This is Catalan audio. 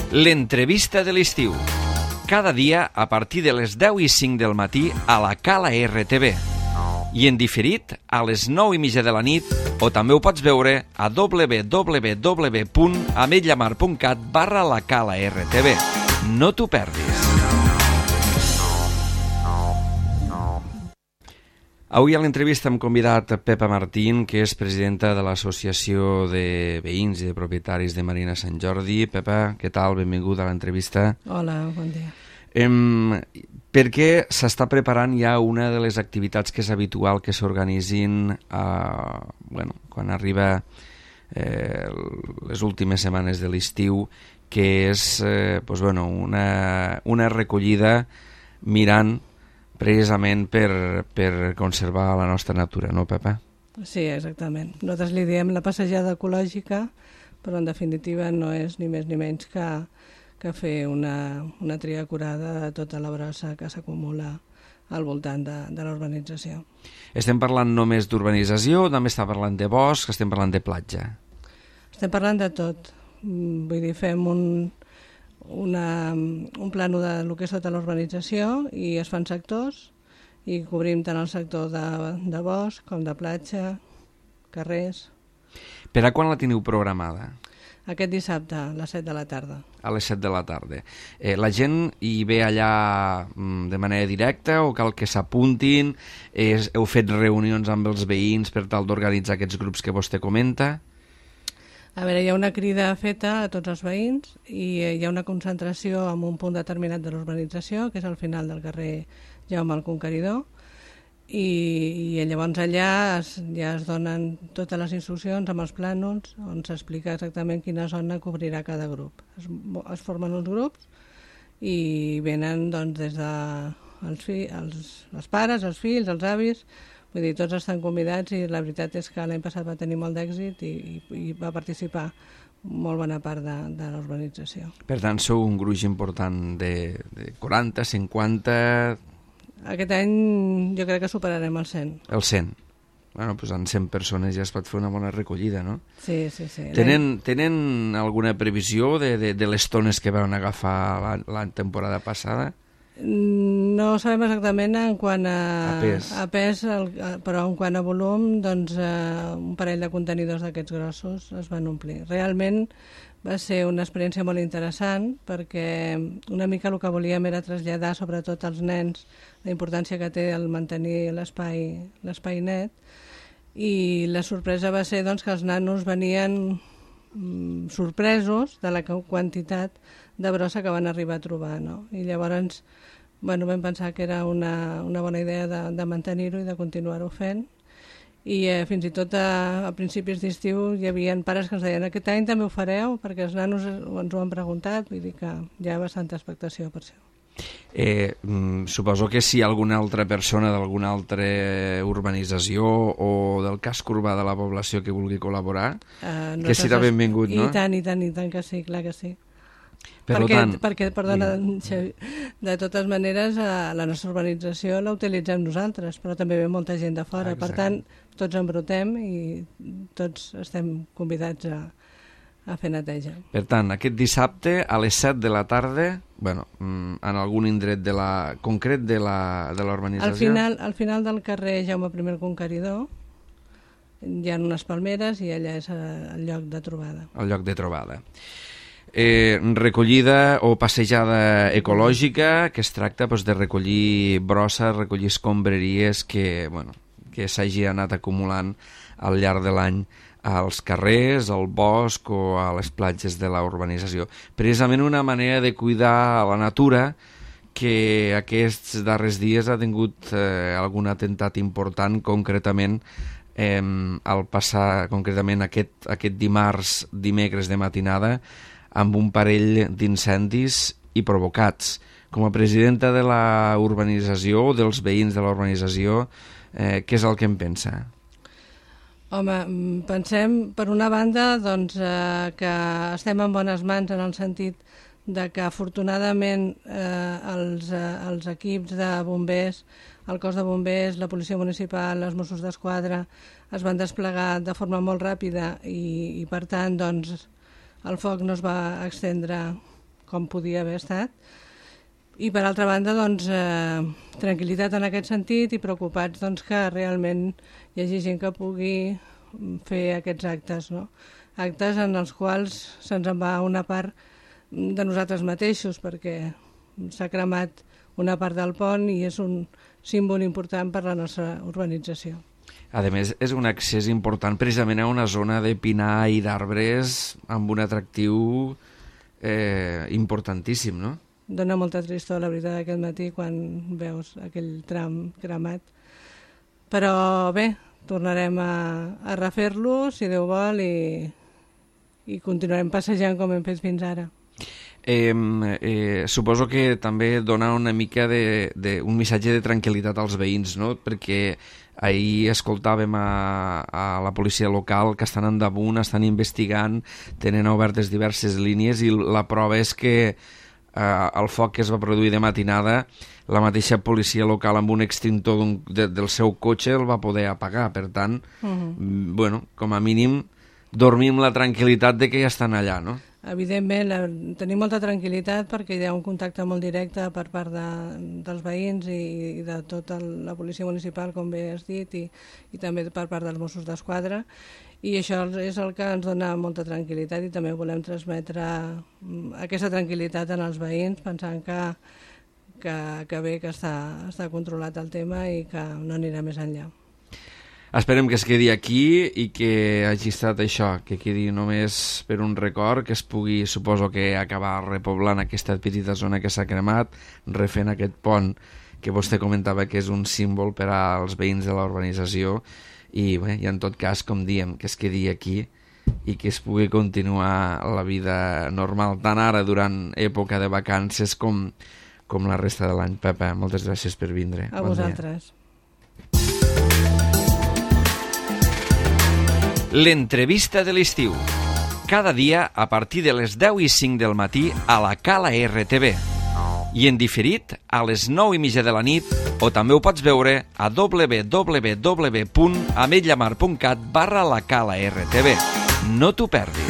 L'entrevista de l'estiu. Cada dia a partir de les 10:05 del matí a la Cala RTV. I en diferit a les 9:30 de la nit, o també ho pots veure a www.ametlllamar.cat/la Cala RTV. No t'ho perdis. Avui a l'entrevista hem convidat Pepa Martín, que és presidenta de l'Associació de Veïns i de Propietaris de Marina Sant Jordi. Pepa, què tal? Benvinguda a l'entrevista. Hola, bon dia. Perquè s'està preparant ja una de les activitats que és habitual que s'organitzin quan arriba les últimes setmanes de l'estiu, que és una recollida mirant precisament per conservar la nostra natura, no, Pepa? Sí, exactament. Nosaltres li diem la passejada ecològica, però en definitiva no és ni més ni menys que fer una tria acurada de tota la brossa que s'acumula al voltant de l'urbanització. Estem parlant només d'urbanització o també està parlant de bosc, estem parlant de platja? Estem parlant de tot. Vull dir, fem un plano del que és tota l'urbanització i es fan sectors i cobrim tant el sector de bosc com de platja, carrers. Per a quan la teniu programada? Aquest dissabte, a les 7 de la tarda. A les 7 de la tarda. La gent hi ve allà de manera directa o cal que s'apuntin? Heu fet reunions amb els veïns per tal d'organitzar aquests grups que vostè comenta? A veure, hi ha una crida feta a tots els veïns i hi ha una concentració en un punt determinat de l'urbanització, que és al final del carrer Jaume el Conqueridor, i llavors allà ja es donen totes les instruccions amb els plànols on s'explica exactament quina zona cobrirà cada grup. Es formen uns grups i venen doncs, des de els pares, els fills, els avis. Vull dir, tots estan convidats i la veritat és que l'any passat va tenir molt d'èxit i va participar molt bona part de l'urbanització. Per tant, sou un gruix important de 40, 50... Aquest any jo crec que superarem el 100. El 100. Bueno, doncs amb 100 persones ja es pot fer una bona recollida, no? Sí. Tenen alguna previsió de les tones que van agafar la temporada passada? No sabem exactament en quant a pes, però en quant a volum, doncs un parell de contenidors d'aquests grossos es van omplir. Realment va ser una experiència molt interessant perquè una mica el que volíem era traslladar sobretot als nens la importància que té el mantenir l'espai net, i la sorpresa va ser doncs, que els nanos venien sorpresos de la quantitat de brossa que van arribar a trobar, no? I llavors vam pensar que era una bona idea de mantenir-ho i de continuar-ho fent. I fins i tot a principis d'estiu hi havia pares que ens deien aquest any també ho fareu, perquè els nanos ens ho han preguntat, vull dir que hi ha bastanta expectació per això. Suposo que si alguna altra persona d'alguna altra urbanització o del casc urbà de la població que vulgui col·laborar, que serà benvingut, no? I tant que sí, clar que sí. Perquè, Xavi, de totes maneres la nostra urbanització la utilitzem nosaltres, però també ve molta gent de fora. Per tant, tots embrutem i tots estem convidats a fer neteja. Per tant, aquest dissabte a les 7 de la tarda, en algun indret concret de l'urbanització? Al final del carrer Jaume I el Conqueridor hi ha unes palmeres i allà és el lloc de trobada. El lloc de trobada. Recollida o passejada ecològica, que es tracta de recollir brossa, recollir escombraries que s'hagi anat acumulant al llarg de l'any als carrers, al bosc o a les platges de la urbanització. Precisament una manera de cuidar la natura que aquests darrers dies ha tingut algun atemptat important, concretament al passar concretament aquest dimecres de matinada, amb un parell d'incendis i provocats. Com a presidenta de la urbanització o dels veïns de la urbanització, què és el que en pensa? Home, pensem, per una banda, que estem en bones mans en el sentit de que afortunadament els equips de bombers, el cos de bombers, la policia municipal, els Mossos d'Esquadra es van desplegar de forma molt ràpida i per tant el foc no es va estendre com podia haver estat. I per altra banda, doncs, tranquil·litat en aquest sentit i preocupats doncs, que realment hi hagi gent que pugui fer aquests actes, no? Actes en els quals se'ns en va una part de nosaltres mateixos, perquè s'ha cremat una part del pont i és un símbol important per la nostra urbanització. A més, és un accés important precisament a una zona de pinar i d'arbres amb un atractiu importantíssim, no? Dóna molta tristor, la veritat, aquest matí quan veus aquell tram cremat. Però bé, tornarem a refer-lo, si Déu vol, i continuarem passejant com hem fet fins ara. Suposo que també dona una mica un missatge de tranquil·litat als veïns, no? Perquè ahir escoltàvem a la policia local que estan endamunt, estan investigant, tenen obertes diverses línies i la prova és que el foc que es va produir de matinada, la mateixa policia local amb un extintor del seu cotxe el va poder apagar. Per tant, bueno, com a mínim dormim la tranquil·litat de que ja estan allà, no? Evidentment, tenim molta tranquil·litat perquè hi ha un contacte molt directe per part dels veïns i de tota la policia municipal, com bé has dit, i també per part dels Mossos d'Esquadra, i això és el que ens dona molta tranquil·litat i també volem transmetre aquesta tranquil·litat en els veïns pensant que bé, que està controlat el tema i que no anirà més enllà. Esperem que es quedi aquí i que hagi estat això, que quedi només per un record, que es pugui, suposo que acabar repoblant aquesta petita zona que s'ha cremat, refent aquest pont que vostè comentava que és un símbol per als veïns de la urbanització i en tot cas, com diem, que es quedi aquí i que es pugui continuar la vida normal, tant ara durant època de vacances com la resta de l'any. Pepa, moltes gràcies per vindre. A vosaltres. L'entrevista de l'estiu. Cada dia a partir de les 10:05 del matí a la Cala RTV. I en diferit a les 9:30 de la nit, o també ho pots veure a www.ametlllamar.cat/la Cala RTV. No t'ho perdis.